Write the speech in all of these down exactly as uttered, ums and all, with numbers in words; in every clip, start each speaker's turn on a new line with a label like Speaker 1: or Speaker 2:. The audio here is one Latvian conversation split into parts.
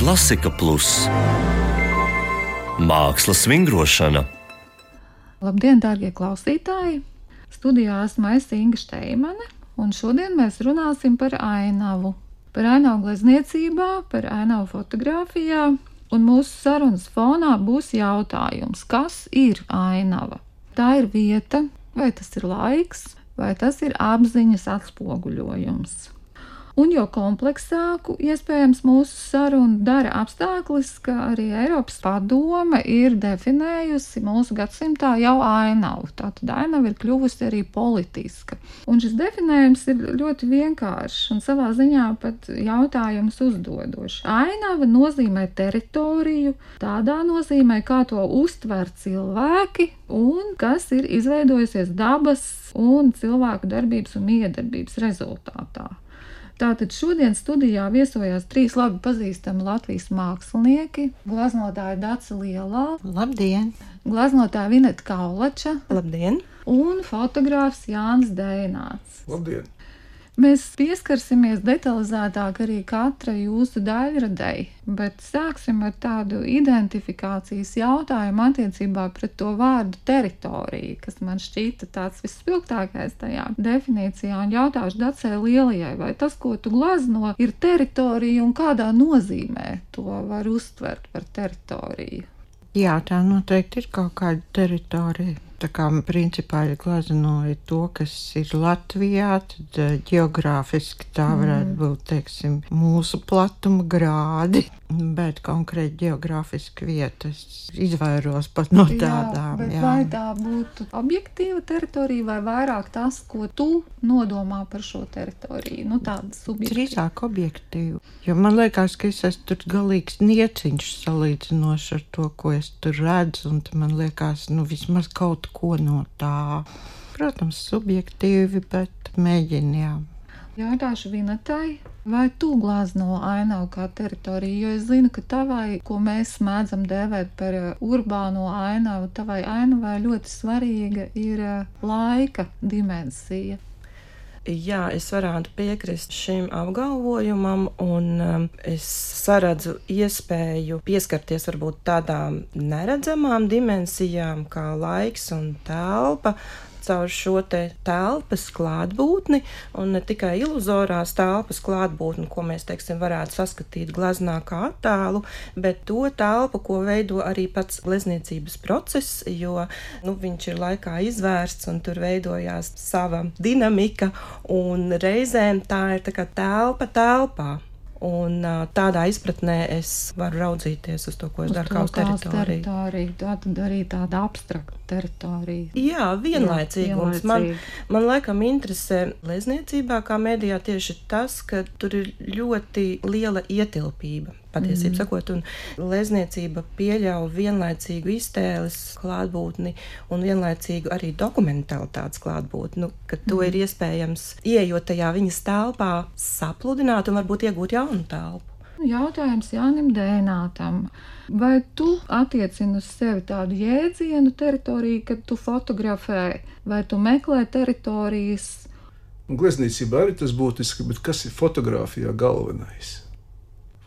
Speaker 1: Klasika Plus Mākslas vingrošana.
Speaker 2: Labdien, dārgie klausītāji! Studijā esmu es Inga Šteimane, un šodien mēs runāsim par ainavu. Par ainavu glezniecībā, par ainavu fotografijā, un mūsu sarunas fonā būs jautājums, kas ir ainava? Tā ir vieta, vai tas ir laiks, vai tas ir apziņas atspoguļojums. Un jo kompleksāku iespējams mūsu sarunu dara apstākļus, ka arī Eiropas padome ir definējusi mūsu gadsimtā jau ainavu. Tātad ainava ir kļuvusi arī politiska. Un šis definējums ir ļoti vienkāršs un savā ziņā pat jautājums uzdodošs. Ainava nozīmē teritoriju, tādā nozīmē, kā to uztver cilvēki un kas ir izveidojusies dabas un cilvēku darbības un miedarbības rezultātā. Tātad šodien studijā viesojās trīs labi pazīstami Latvijas mākslinieki, gleznotāja Dace Lielā,
Speaker 3: Labdien!
Speaker 2: Gleznotāja Vineta Kaulača,
Speaker 3: Labdien!
Speaker 2: Un fotogrāfs Jānis Dejnāts.
Speaker 4: Labdien!
Speaker 2: Mēs pieskarsimies detalizētāk arī katra jūsu daļradei, bet sāksim ar tādu identifikācijas jautājumu attiecībā pret to vārdu teritorija, kas man šķita tāds visspilgtākais tajā definīcijā, un jautāšu Dacei Lielajai, vai tas, ko tu glezno, ir teritorija un kādā nozīmē to var uztvert par teritoriju?
Speaker 3: Jā, tā noteikti ir kaut kāda teritorija. Tā kā principā ir gleznoja to, kas ir Latvijā, tad ģeogrāfiski tā varētu mm. būt, teiksim, mūsu platuma grādi, bet konkrēti ģeogrāfiski vietas izvairos pat no tādām.
Speaker 2: Jā, bet
Speaker 3: jā.
Speaker 2: Vai tā būtu objektīva teritorija vai vairāk tas, ko tu nodomā par šo teritoriju? Nu, tāda subjektīva.
Speaker 3: Drīzāk objektīva, jo man liekas, ka es esmu tur galīgs nieciņš salīdzinoši ar to, ko es tur redzu, un man liekas, nu, vismaz kaut ko no tā. Protams, subjektīvi, bet mēģinājām.
Speaker 2: Jautāšu Vinetai, vai tu glezno ainavu kā teritoriju, jo es zinu, ka tavai, ko mēs mēdzam dēvēt par urbāno ainavu, tavai ainavai ļoti svarīga ir laika dimensija.
Speaker 5: Jā, es varētu piekrist šim apgalvojumam, un um, es saredzu iespēju pieskarties varbūt tādām neredzamām dimensijām kā laiks un telpa, caur šo te telpas klātbūtni, un ne tikai iluzorās telpas klātbūtni, ko mēs, teiksim, varētu saskatīt gleznā kā attēlu, bet to telpu, ko veido arī pats glezniecības process, jo nu, viņš ir laikā izvērsts un tur veidojās sava dinamika, un reizēm tā ir tā kā telpa telpā. Un tādā izpratnē es varu raudzīties uz to, ko es daru kā uz teritoriju.
Speaker 2: teritoriju. Tā tad arī tāda abstrakta teritorija.
Speaker 5: Jā, vienlaicīgums.
Speaker 2: Jā,
Speaker 5: man, man laikam interesē glezniecībā kā medijā tieši tas, ka tur ir ļoti liela ietilpība, patiesībā mm. sakot, un glezniecība pieļauj vienlaicīgu iztēles klātbūtni un vienlaicīgu arī dokumentalitātes klātbūtni, nu, ka to mm. ir iespējams ieejot tajā viņas telpā sapludināt un varbūt iegūt jaunu telpu.
Speaker 2: Jautājums Jānim Dejnātam. Vai tu attiecini uz sevi tādu jēdzienu teritoriju, kad tu fotografē, vai tu meklē teritorijas?
Speaker 4: Glezniecībā arī tas būtiski, bet kas ir fotogrāfijā galvenais?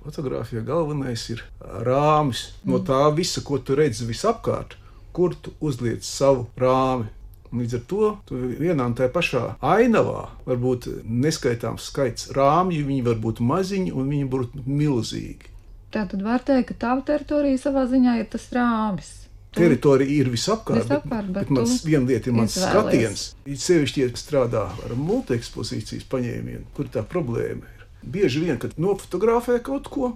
Speaker 4: Fotogrāfijā galvenais ir rāmis. No tā visa, ko tu redzi visapkārt, kur tu uzliec savu rāmi. Līdz ar to tu vienā un tajā pašā ainavā var būt neskaitāms skaits rāmju, viņi var būt maziņi un viņi var būt milzīgi.
Speaker 2: Tātad var teikt, ka tava teritorija savā ziņā ir tas rāmis.
Speaker 4: Tu teritorija ir visapkārt,
Speaker 2: visapkārt bet,
Speaker 4: bet, bet mans viena lieta ir mans
Speaker 2: izvēlies.
Speaker 4: skatiens. Sevišķi, ja strādā ar multiekspozīcijas paņēmienu, kur tā problēma ir. Bieži vien, kad nofotografē kaut ko,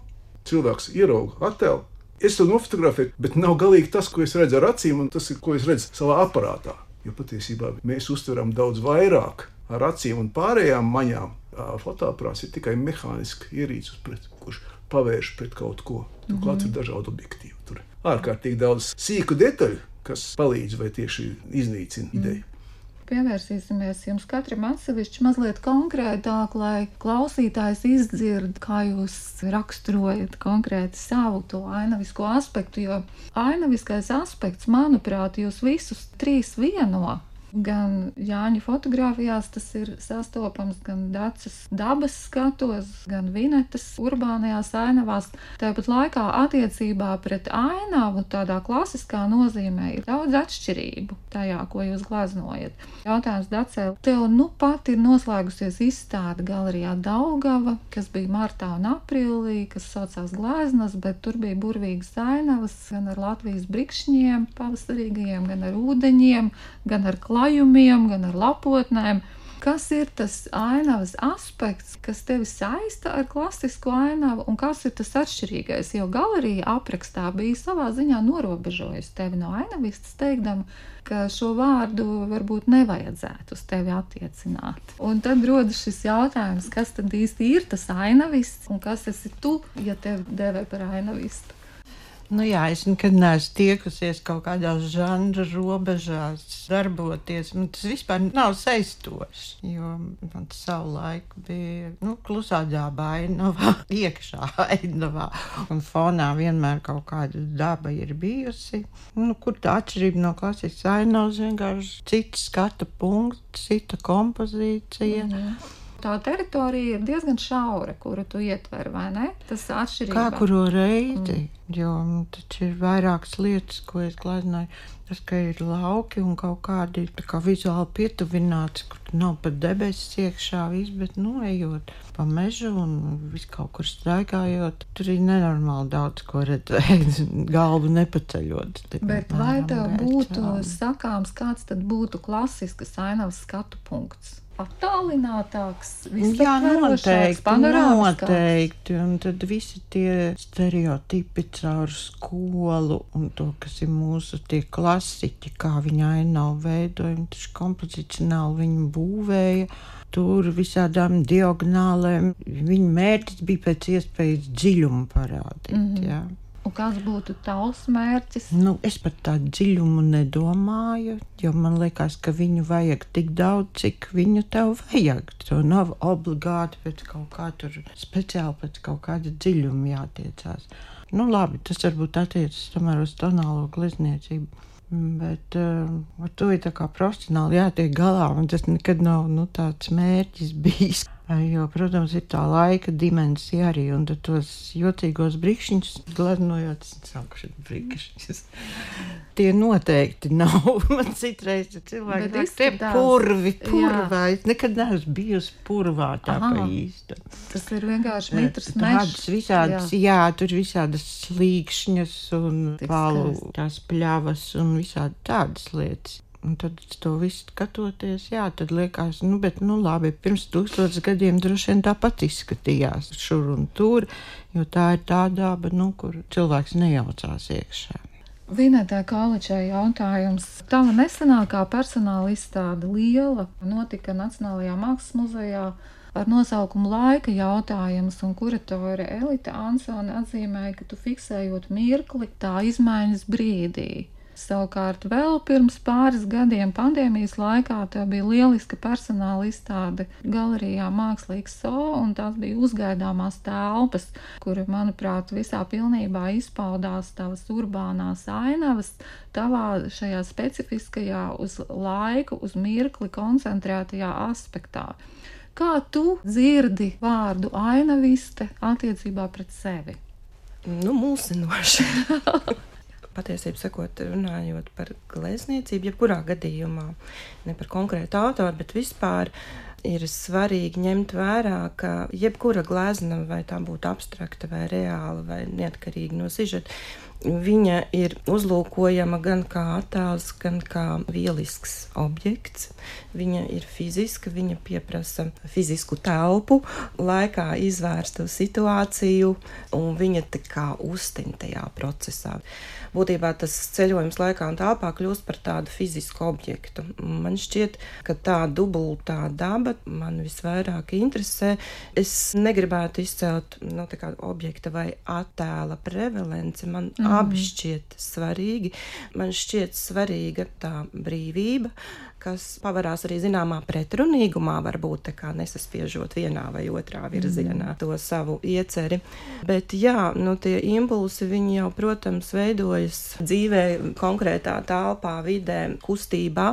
Speaker 4: cilvēks ierauga attēlu. Es to nofotografēju, bet nav galīgi tas, ko es redzu ar acīm, un tas ir, ko es redzu savā aparātā. Jo patiesībā mēs uztveram daudz vairāk ar acīm un pārējām maņām. Fotoaparāts ir tikai mehāniski ierīces, pret, kurš pavērš pret kaut ko. Turklāt mm-hmm. ir dažādi objektīvi. Tur ārkārtīgi daudz sīku detaļu, kas palīdz vai tieši iznīcina mm. ideju.
Speaker 2: Pievērsīsimies jums katram atsevišķi mazliet konkrētāk, lai klausītājs izdzird, kā jūs raksturojat konkrēti savu to ainavisko aspektu, jo ainaviskais aspekts, manuprāt, jūs visus trīs vieno. Gan Jāņa fotogrāfijās tas ir sastopams, gan Dacas dabas skatos, gan Vinetas urbānajās ainavās. Tāpat laikā attiecībā pret ainavu tādā klasiskā nozīmē ir daudz atšķirību tajā, ko jūs glaznojat. Jautājums Dacē, tev nu pat ir noslēgusies izstāde galerijā Daugava, kas bija martā un aprīlī, kas saucās Gleznas, bet tur bija burvīgas ainavas gan ar Latvijas brikšņiem pavasarīgajiem, gan ar ūdeņiem, gan ar klajumiem, gan ar lapotnēm. Kas ir tas ainavas aspekts, kas tevi saista ar klasisko ainavu, un kas ir tas atšķirīgais? Jo galerija aprakstā bija savā ziņā norobežojusi tevi no ainavistas, teikdama, ka šo vārdu varbūt nevajadzētu uz tevi attiecināt. Un tad rodas šis jautājums, kas tad īsti ir tas ainavists, un kas esi tu, ja tevi devē par ainavistu?
Speaker 3: Nu jā, es nekad neesmu tiekusies kaut kādās žanra robežās darboties. Man tas vispār nav saistoši, jo man savu laiku bija nu, klusā daba ainavā, iekšā ainavā. Un fonā vienmēr kaut kāda daba ir bijusi. Nu, kur tā atšķirība no klasiskas ainavas, vienkārši cits skata punkts, cita kompozīcija.
Speaker 2: Mm-hmm. Tā teritorija ir diezgan šaura, kuru tu ietver, vai ne? Tas atšķirībā.
Speaker 3: Kā kuru reizi, mm. jo taču ir vairākas lietas, ko es gleznoju. Tas, ka ir lauki un kaut kādi tā kā vizuāli pietuvināts, kur nav pat debesis iekšā viss, bet nu ejot pa mežu un visu kaut kur staigājot, tur ir nenormāli daudz ko redzēt, galvu nepaceļot.
Speaker 2: Bet vai tev būtu sakāms, kāds tad būtu klasiskas ainavas skatu punkts? Attālinātāks, visaptverošāks, panorāmiskāks.
Speaker 3: Noteikti, un tad visi tie stereotipi caur skolu un to, kas ir mūsu tie klasiķi, kā viņa ainavu veidoja, taču kompozicionāli viņu būvēja, tur visādām diagonālēm. Viņa mērķis bija pēc iespējas dziļumu parādīt, mm-hmm. jā.
Speaker 2: Un kāds būtu tavs mērķis?
Speaker 3: Nu, es par tādu dziļumu nedomāju, jo man liekas, ka viņu vajag tik daudz, cik viņu tev vajag. To nav obligāti pēc kaut kā tur, speciāli pēc kaut kāda dziļuma jātiecās. Nu, labi, tas varbūt attiecas tomēr uz tonālo glezniecību. Bet uh, ar to ir tā kā profesionāli jātiek galā, un tas nekad nav nu, tāds mērķis bijis. Jo, protams, ir tā laika dimensija arī, un tad tos jocīgos brikšņus gleznojot, es sauku šeit brikšņus. Tie noteikti nav. Man citreiz cilvēki tā, tie purvi, purvā. Es nekad neesmu bijusi purvā tā pa īstu.
Speaker 2: Tas ir vienkārši mitrs mešs.
Speaker 3: Tādas visādas, jā. jā, tur visādas slīkšņas un palu, tās pļavas un visādi tādas lietas. Un tad to visu skatoties, jā, tad liekas, nu, bet, nu, labi, pirms tūkstotis gadiem droši vien tāpat izskatījās šur un tur, jo tā ir tā daba, nu, kur cilvēks nejaucās iekšā.
Speaker 2: Vinetai Kaličai jautājums. Tava nesenākā personāla izstāde liela notika Nacionālajā Mākslas muzejā ar nosaukumu Laika jautājums, un kuratore Elita Ansone atzīmēja, ka tu fiksējot mirkli tā izmaiņas brīdī. Savukārt vēl pirms pāris gadiem pandēmijas laikā tā bija lieliska personāla izstāde galerijā Mākslīgs So, un tās bija uzgaidāmās telpas, kura, manuprāt, visā pilnībā izpaudās tavas urbānās ainavas, tavā šajā specifiskajā uz laiku, uz mirkli koncentrētajā aspektā. Kā tu dzirdi vārdu ainaviste attiecībā pret sevi?
Speaker 5: Nu, mulsinoši. Patiesībā sakot, runājot par glezniecību, jebkurā gadījumā, ne par konkrētu autoru, bet vispār ir svarīgi ņemt vērā, ka jebkura glezna, vai tā būtu abstrakta vai reāla vai neatkarīga no sižeta, viņa ir uzlūkojama gan kā attēls, gan kā vielisks objekts. Viņa ir fiziska, viņa pieprasa fizisku telpu, laikā izvērstu situāciju, un viņa tā kā uztin tajā procesā. Būtībā tas ceļojums laikā un telpā kļūst par tādu fizisku objektu. Man šķiet, ka tā dubultā daba man visvairāk interesē. Es negribētu izcelt no tā kā objekta vai attēla prevalenci. Man mm. abi šķiet svarīgi. Man šķiet svarīga tā brīvība, kas pavarās arī zināmā pretrunīgumā, varbūt tā kā nesaspiežot vienā vai otrā virzienā to savu ieceri. Bet jā, nu tie impulsi, viņi jau, protams, veidojas dzīvē, konkrētā telpā, vidē, kustībā.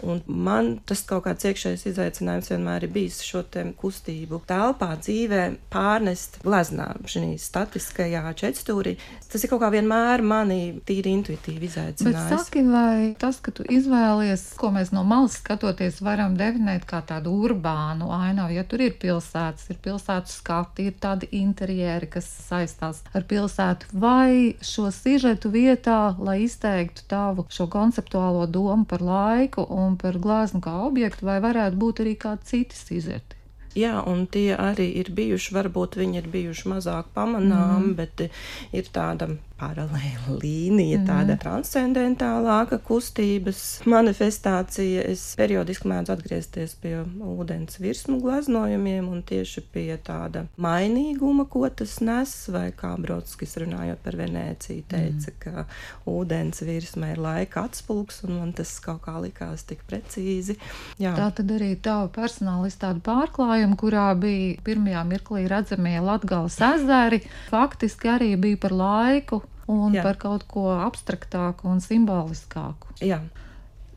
Speaker 5: Un man tas kaut kāds iekšējs izaicinājums vienmēr ir bijis šo te kustību telpā, dzīvē pārnest gleznā, šī statiskajā četstūrī. Tas ir kaut kā vienmēr mani tīri intuitīvi izaicinājis.
Speaker 2: Bet saki, vai tas, ka tu izvēlies, ko mēs no malas skatoties varam definēt kā tādu urbānu ainavu, ja tur ir pilsētas, ir pilsētu skati, ir tādi interjeri, kas saistās ar pilsētu, vai šo sižetu vietā, lai izteiktu tavu šo konceptuālo domu par laiku un par gleznu kā objektu, vai varētu būt arī kādi citi sižeti?
Speaker 5: Jā, un tie arī ir bijuši, varbūt viņi ir bijuši mazāk pamanām, mm. bet ir tāda paralēla līnija, mm. tāda transcendentālāka kustības manifestācija. Es periodiski mēdzu atgriezties pie ūdens virsmu gleznojumiem un tieši pie tāda mainīguma, ko tas nes, vai kā Brodskis runājot par Venēciju teica, mm. ka ūdens virsma ir laika atspulgs, un man tas kaut kā likās tik precīzi. Jā.
Speaker 2: Tā tad arī tava personāla izstāde pārklājuma, kurā bija pirmajā mirklī redzamie Latgales ezeri, faktiski arī bija par laiku un Jā. Par kaut ko abstraktāku un simboliskāku.
Speaker 5: Jā.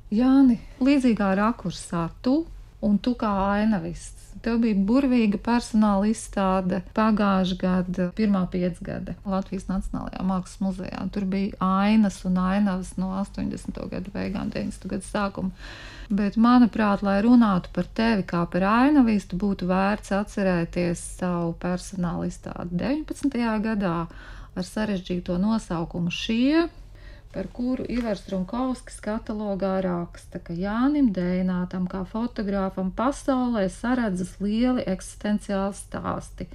Speaker 2: Jāni, līdzīgā rakursā tu un tu kā ainavists. Tev bija burvīga personāla izstāde pagājušā gada pirmā piecgade Latvijas Nacionālajā Mākslas muzejā. Tur bija ainas un ainavas no astoņdesmito gadu beigām, deviņdesmito gadu sākuma. Bet, manuprāt, lai runātu par tevi kā par ainavistu, būtu vērts atcerēties savu personāla izstādi deviņpadsmitajā gadā ar sarežģīto nosaukumu Šie, par kuru Ivars Runkovskis katalogā raksta, ka Jānim Dejnātam kā fotogrāfam pasaulē saredzas lieli eksistenciāli stāsti,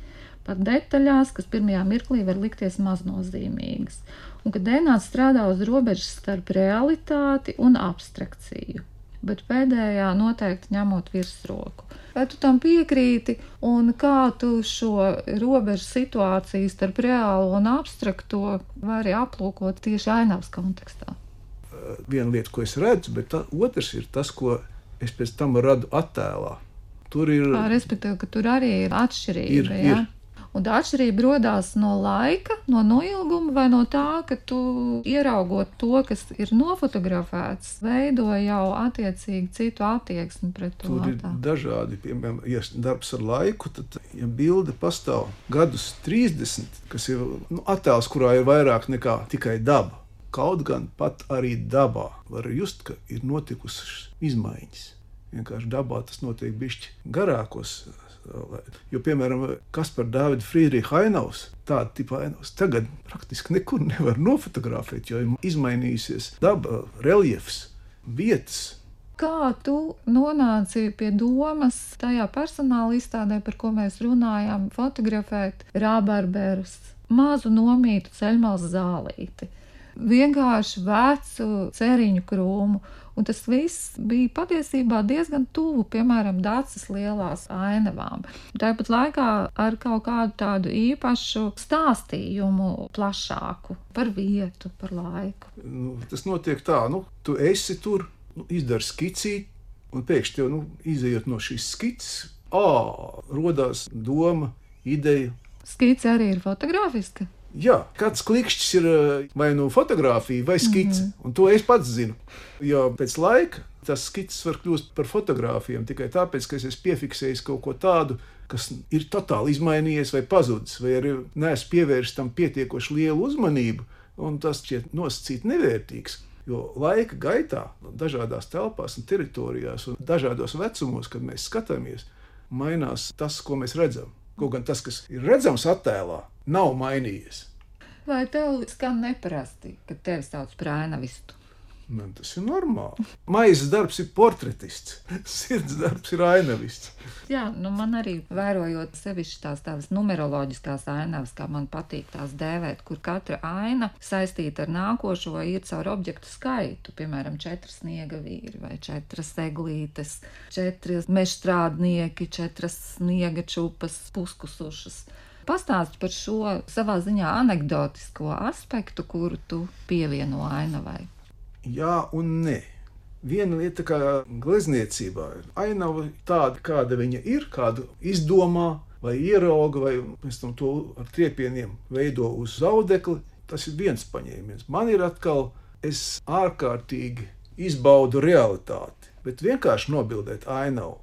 Speaker 2: pat detaļās, kas pirmajā mirklī var likties maznozīmīgas, un ka Dejnāts strādā uz robežas starp realitāti un abstrakciju, bet pēdējā noteikti ņemot virsroku. Vai tu tam piekrīti, un kā tu šo robežu situāciju starp reālo un abstrakto vari aplūkot tieši ainavas kontekstā?
Speaker 4: Viena lieta, ko es redzu, bet tā, otrs ir tas, ko es pēc tam radu attēlā. Tur ir...
Speaker 2: Kā, respektīvi, ka tur arī ir atšķirība,
Speaker 4: ir,
Speaker 2: jā?
Speaker 4: Ir.
Speaker 2: Un tā atšķirība rodās no laika, no noilguma vai no tā, ka tu ieraugot to, kas ir nofotografēts, veido jau attiecīgi citu attieksmi pret to.
Speaker 4: Tur ir
Speaker 2: attēlu.
Speaker 4: Dažādi, piemēram, ja darbs ar laiku, tad, ja bilde pastāv gadus trīsdesmit, kas ir nu, attēls, kurā ir vairāk nekā tikai daba, kaut gan pat arī dabā var just, ka ir notikušas izmaiņas. Vienkārši dabā tas notiek bišķi garākos. Jo, piemēram, Kaspar Dāvida Friedricha ainavas, tāda tipa ainavas, tagad praktiski nekur nevar nofotografēt, jo ir izmainījusies daba, reljefs, vietas.
Speaker 2: Kā tu nonāci pie domas tajā personāla izstādē, par ko mēs runājām, fotografēt rabarberus, mazu nomītu ceļmalas zālīti, vienkārši vecu ceriņu krūmu? Un tas viss bija patiesībā diezgan tuvu, piemēram, Dacas lielās ainavām. Tāpat laikā ar kaut kādu tādu īpašu stāstījumu plašāku par vietu, par laiku.
Speaker 4: Nu, tas notiek tā, nu, tu esi tur, nu, izdari skicīt, un pēkšņi tev, nu, izejot no šīs skices, ā, rodās doma, ideja.
Speaker 2: Skice arī ir fotogrāfiska?
Speaker 4: Jā, kāds klikšķis ir vai nu fotografija vai skice, mm-hmm. un to es pats zinu. Jo pēc laika tas skices var kļūst par fotogrāfijām tikai tāpēc, ka es esmu piefiksējis kaut ko tādu, kas ir totāli izmainījies vai pazudis, vai arī neesmu pievērsis tam pietiekoši lielu uzmanību, un tas šķiet nosacīt nevērtīgs. Jo laika gaitā, dažādās telpās un teritorijās un dažādos vecumos, kad mēs skatāmies, mainās tas, ko mēs redzam. Kaut gan tas, kas ir redzams attēlā, nav mainījies.
Speaker 2: Vai tev skan neparasti, kad tevi sauc par ainavistu?
Speaker 4: Man tas ir normāli. Maizes darbs ir portretists, sirds darbs ir ainavists.
Speaker 2: Jā, nu man arī vērojot sevišķi tās tādas numeroloģiskās ainavas, kā man patīk tās dēvēt, kur katra aina saistīta ar nākošo ir caur objektu skaitu, piemēram, četras sniega vīri vai četras eglītes, četras mežstrādnieki, četras sniega čupas, puskusušas. Pastāsti par šo savā ziņā anekdotisko aspektu, kuru tu pievieno ainavai. Jā
Speaker 4: un nē. Viena lieta kā glezniecībā ir ainava tāda, kāda viņa ir, kādu izdomā vai ierauga, vai pēc tam to ar triepieniem veido uz zaudekli. Tas ir viens paņēmiens. Man ir atkal, es ārkārtīgi izbaudu realitāti. Bet vienkārši nobildēt ainavu,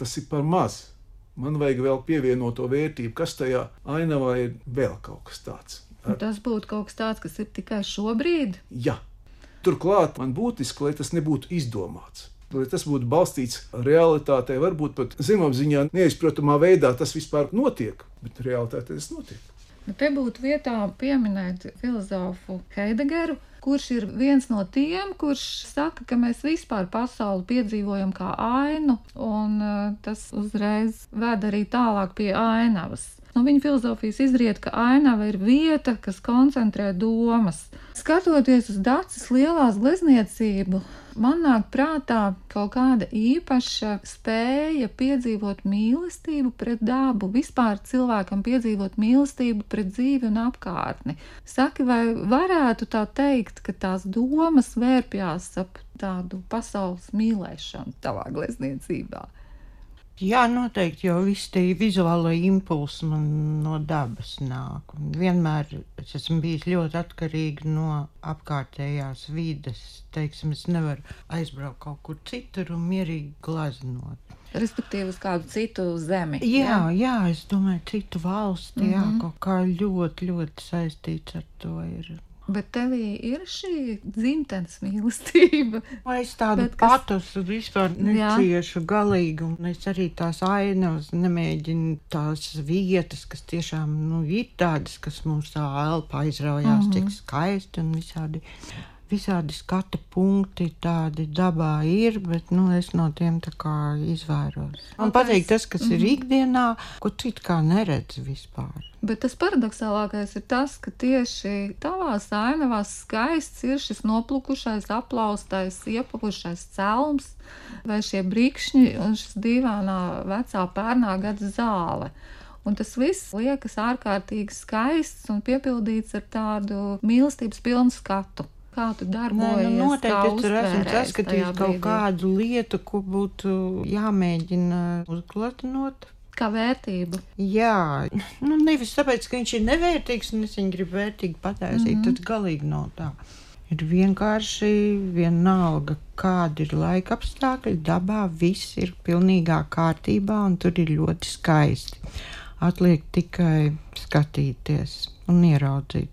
Speaker 4: tas ir par maz. Man vajag vēl pievienot to vērtību, kas tajā ainavā ir vēl kaut kas tāds.
Speaker 2: Ar... Tas būtu kaut kas tāds, kas ir tikai šobrīd?
Speaker 4: Jā. Turklāt man būtiski, lai tas nebūtu izdomāts. Lai tas būtu balstīts realitātē, varbūt pat zemapziņā neizprotamā veidā tas vispār notiek, bet realitātē tas notiek.
Speaker 2: Bet te būtu vietā pieminēt filozofu Heidegeru, kurš ir viens no tiem, kurš saka, ka mēs vispār pasauli piedzīvojam kā ainu, un tas uzreiz ved arī tālāk pie ainavas. No viņa filozofijas izriet, ka ainava ir vieta, kas koncentrē domas. Skatoties uz Daces lielās glezniecību, man nāk prātā kaut kāda īpaša spēja piedzīvot mīlestību pret dabu, vispār cilvēkam piedzīvot mīlestību pret dzīvi un apkārtni. Saki, vai varētu tā teikt, ka tās domas vērpjās ap tādu pasaules mīlēšanu tavā glezniecībā?
Speaker 3: Jā, noteikti, jo visi tie vizuālo impulsi man no dabas nāk. Un vienmēr es esmu bijis ļoti atkarīga no apkārtējās vides. Teiksim, es nevaru aizbraukt kaut kur citur un mierīgi glaznot.
Speaker 2: Respektīvi uz kādu citu zemi.
Speaker 3: Jā, jā, jā es domāju, citu valsti, mm-hmm. jā, kaut kā ļoti, ļoti saistīts ar to ir.
Speaker 2: Bet tevī ir šī dzimtenes mīlestība.
Speaker 3: Vai es tādu kas... patosu vispār neciešu galīgi, un es arī tās ainavas nemēģinu tās vietas, kas tiešām, nu, ir tādas, kas mums tā elpa aizraujās, mm-hmm. cik skaisti un visādi, visādi skata punkti tādi dabā ir, bet, nu, es no tiem tā kā izvairos. Man patīk tas, kas mm-hmm. ir ikdienā, ko citu kā neredz vispār.
Speaker 2: Bet tas paradoxālākais ir tas, ka tieši tavās ainavās skaists ir šis noplukušais, aplaustais, iepakušais celms vai šie brikšņi un šis dīvainā vecā pērnā gada zāle. Un tas viss liekas ārkārtīgi skaists un piepildīts ar tādu mīlestības pilnu skatu. Kā tu darbojies,
Speaker 3: Nē, nu, noteikti,
Speaker 2: kā uztvērēs
Speaker 3: esmu saskatījis kaut kādu lietu, ko būtu jāmēģina uzgleznot.
Speaker 2: Kā vērtību.
Speaker 3: Jā, nu nevis tāpēc, ka viņš ir nevērtīgs un es viņu gribu vērtīgi pataisīt, mm-hmm. tad galīgi nav tā. Ir vienkārši vienalga, kāda ir laika apstākļi, dabā viss ir pilnīgā kārtībā un tur ir ļoti skaisti. Atliek tikai skatīties un ieraudzīt.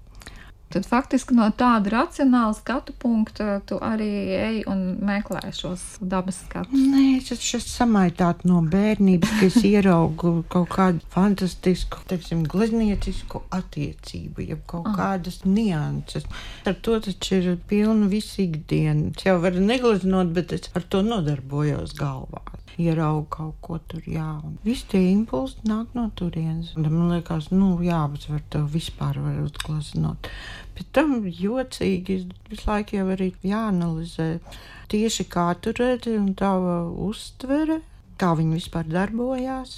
Speaker 2: Tad faktiski no tāda racionāla skatu punkta tu arī ej un meklē šos dabas skatus.
Speaker 3: Nē, es esmu samaitāta no bērnības, ka es ieraugu kaut kādu fantastisku, teiksim, glezniecisku attiecību, jeb kaut ah. kādas nianses. Ar to taču ir pilna visa ikdiena. Es jau varu negleznot, bet es ar to nodarbojos galvā. Ieraugu kaut ko tur, jā. Un visi tie impulsi nāk no turienes. Un man liekas, nu jā, bet var to vispār var uzgleznot. Bet tam jocīgi visu laiku jau arī jāanalizē tieši kā tu redzi un tava uztvere, kā viņi vispār darbojās.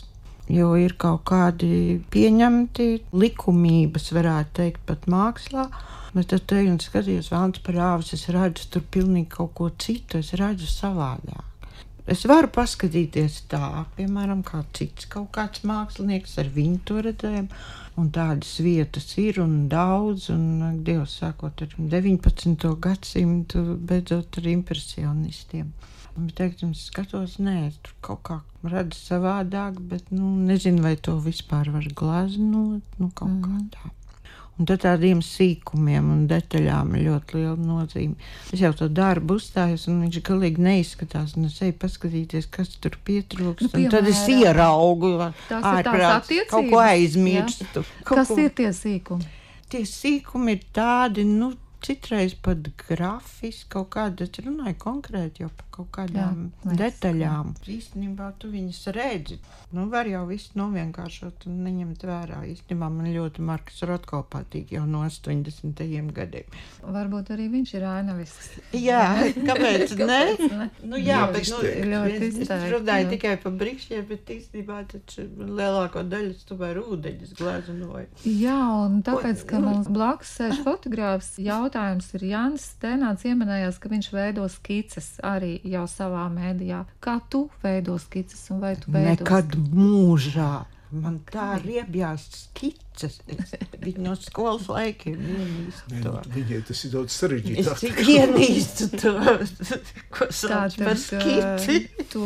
Speaker 3: Jo ir kaut kādi pieņemti likumības, varētu teikt, pat mākslā. Bet tad te un skaties vēlns par āvis, es redzu tur pilnīgi kaut ko citu, es redzu savādāk. Es varu paskatīties tā, piemēram, kā cits kaut kāds mākslinieks ar viņu to redzējumu, un tādas vietas ir un daudz, un Dievs sākot ar deviņpadsmito gadsimtu, beidzot ar impresionistiem. Bet, teiksim, es skatos, nē, es tur kaut kā redzu savādāk, bet, nu, nezinu, vai to vispār var glaznot, nu, kaut mm. kā tā. Un tad tādiem sīkumiem un detaļām ir ļoti liela nozīme. Es jau to darbu uzstājos, un viņš galīgi neizskatās, un es eju paskatīties, kas tur pietrūkst, nu, un tad es ieraugu ārprāts, kaut ko aizmirstu. Kaut
Speaker 2: kas
Speaker 3: ko...
Speaker 2: ir tie sīkumi?
Speaker 3: Tie sīkumi ir tādi, nu, citreiz pat grafiski, kaut kāda, es runāju konkrēti jau par kaut kādām jā, detaļām. Īstenībā tu viņas redzi. Nu, var jau visu novienkāršot un neņemt vērā. Īstenībā man ļoti Marks Rotko patīk jau no astoņdesmitajiem gadiem.
Speaker 2: Varbūt arī viņš ir ainavisks.
Speaker 3: Jā, kāpēc ne?
Speaker 2: ne?
Speaker 3: Nu jā, bet nu,
Speaker 2: ļoti
Speaker 3: es, es runāju tikai par brikšķiem, bet īstenībā taču lielāko daļu tomēr ūdeņus gleznoju.
Speaker 2: Jā, un tāpēc, ka mums blakus sēž fotogrāfs, jautājums ir Jānis Stēnāts ieminējās, ka viņš veido skices arī jau savā mēdījā. Kā tu veido skices un vai tu veido?
Speaker 3: Nekad mūžā. Man tā riebjās skices. Viņa no skolas laikiem ienīstu to.
Speaker 4: Viņai tas ir daudz sarežģītāk.
Speaker 3: Es tik ienīstu to, ko sauc par skici.
Speaker 2: Tu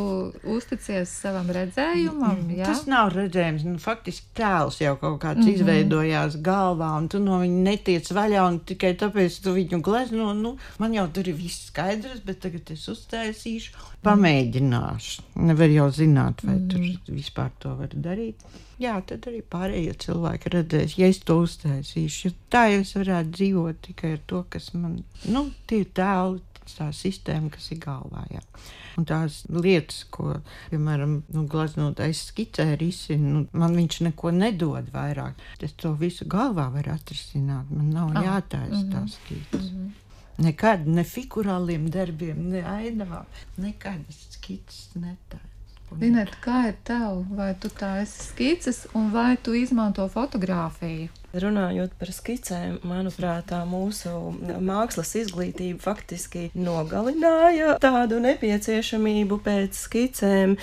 Speaker 2: uzticies savam redzējumam, jā?
Speaker 3: Tas nav redzējums. Nu, faktiski tēls jau kaut kāds mm-hmm. izveidojās galvā, un tu no viņa netiec vaļā, un tikai tāpēc tu viņu glezno. Nu, man jau tur ir viss skaidrs, bet tagad es uztaisīšu. Pamēģināšu. Nevar jau zināt, vai mm. tur vispār to var darīt. Jā, tad arī pārējie cilvēki redzēs, ja es to uztaisīšu. Tā jau es varētu dzīvot tikai ar to, kas man, nu, tie tēli, tā sistēma, kas ir galvā, jā. Un tās lietas, ko, piemēram, nu, gleznotais skicē risina, nu, man viņš neko nedod vairāk. Es to visu galvā varu atrisināt, man nav oh. jātaisa mm-hmm. tās skices. Mm-hmm. Nekad, ne figurāliem darbiem, ne ainavām, nekad skices netājas.
Speaker 2: Lineta, kā ir tev? Vai tu tā esi skices un vai tu izmanto fotogrāfiju?
Speaker 5: Runājot par skicēm, manuprāt, tā mūsu mākslas izglītība faktiski nogalināja tādu nepieciešamību pēc skicēm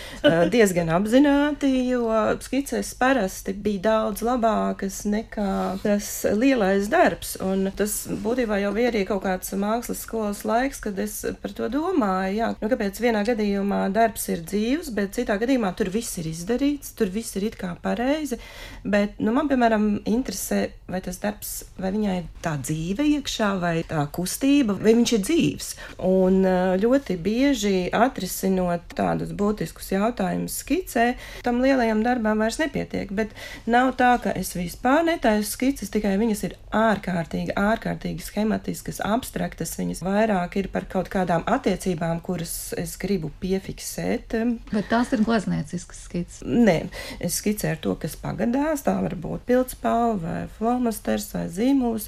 Speaker 5: diezgan apzināti, jo skices parasti bija daudz labākas nekā tas lielais darbs. Un tas būtībā jau bija arī kaut kāds mākslas skolas laiks, kad es par to domāju, jā, nu kāpēc vienā gadījumā darbs ir dzīvs, bet citā gadījumā tur viss ir izdarīts, tur viss ir it kā pareizi, bet, nu, man, piemēram, interesē, vai tas darbs, vai viņai ir tā dzīve iekšā, vai tā kustība, vai viņš ir dzīvs. Un ļoti bieži atrisinot tādus būtiskus jautājumus skicē, tam lielajam darbām vairs nepietiek, bet nav tā, ka es vispār netaisu skices, tikai viņas ir ārkārtīgi, ārkārtīgi schematiskas, abstraktas, viņas vairāk ir par kaut kādām attiecībām, kuras es gribu piefiksēt.
Speaker 2: Bet tās ir gleznieciskas skices?
Speaker 5: Nē, es skicēju to, kas pagadās, tā var būt pildspalva vai flomasters vai zīmuls,